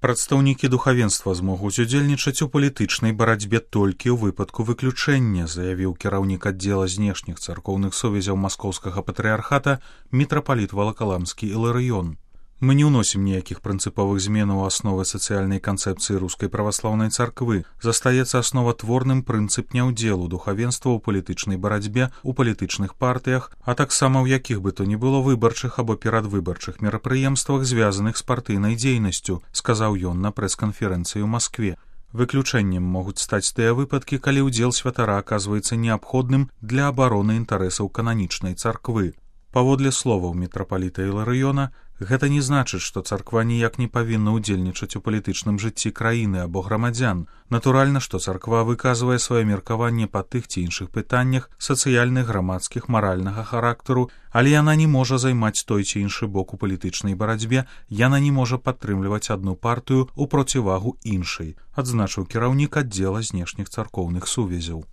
Прадстаўнікі духавенства змогуць удзельнічаць у палітычнай барацьбе толькі ў выпадку выключэння, заявіў кіраўнік аддзела знешніх царкоўных сувязяў маскоўскага патрыархата мітрапаліт Валакаламскі Іларыён. Мы не ўносім ніякіх прынцыповых зменаў у асновы сацыяльнай канцэпцыі рускай праваслаўнай царквы. Застаецца асноватворным прынцып няўдзелу духавенства ў палітычнай барацьбе ў палітычных партыях, а таксама ў якіх бы то ні было выбарчых або перадвыбарчых мерапрыемствах, звязаных з партыйнай дзейнасцю, сказаў ён на прэс-канферэнцыі ў Маскве. Выключэннем могуць стаць тыя выпадкі, калі ўдзел святара аказваецца неабходным для абароны інтарэсаў кананічнай царквы. Паводле словаў мітрапаліта Іларыёна, гэта не значыць, што царква ніяк не павінна ўдзельнічаць у палітычным жыцці краіны або грамадзян. Натуральна, што царква выказвае сваё меркаванне па тых ці іншых пытаннях сацыяльных, грамадскіх, маральнага характару, але яна не можа займаць той ці іншы бок у палітычнай барацьбе, яна не можа падтрымліваць адну партыю ў процівагу іншай, адзначыў кіраўнік аддзела знешніх царкоўных сувязяў.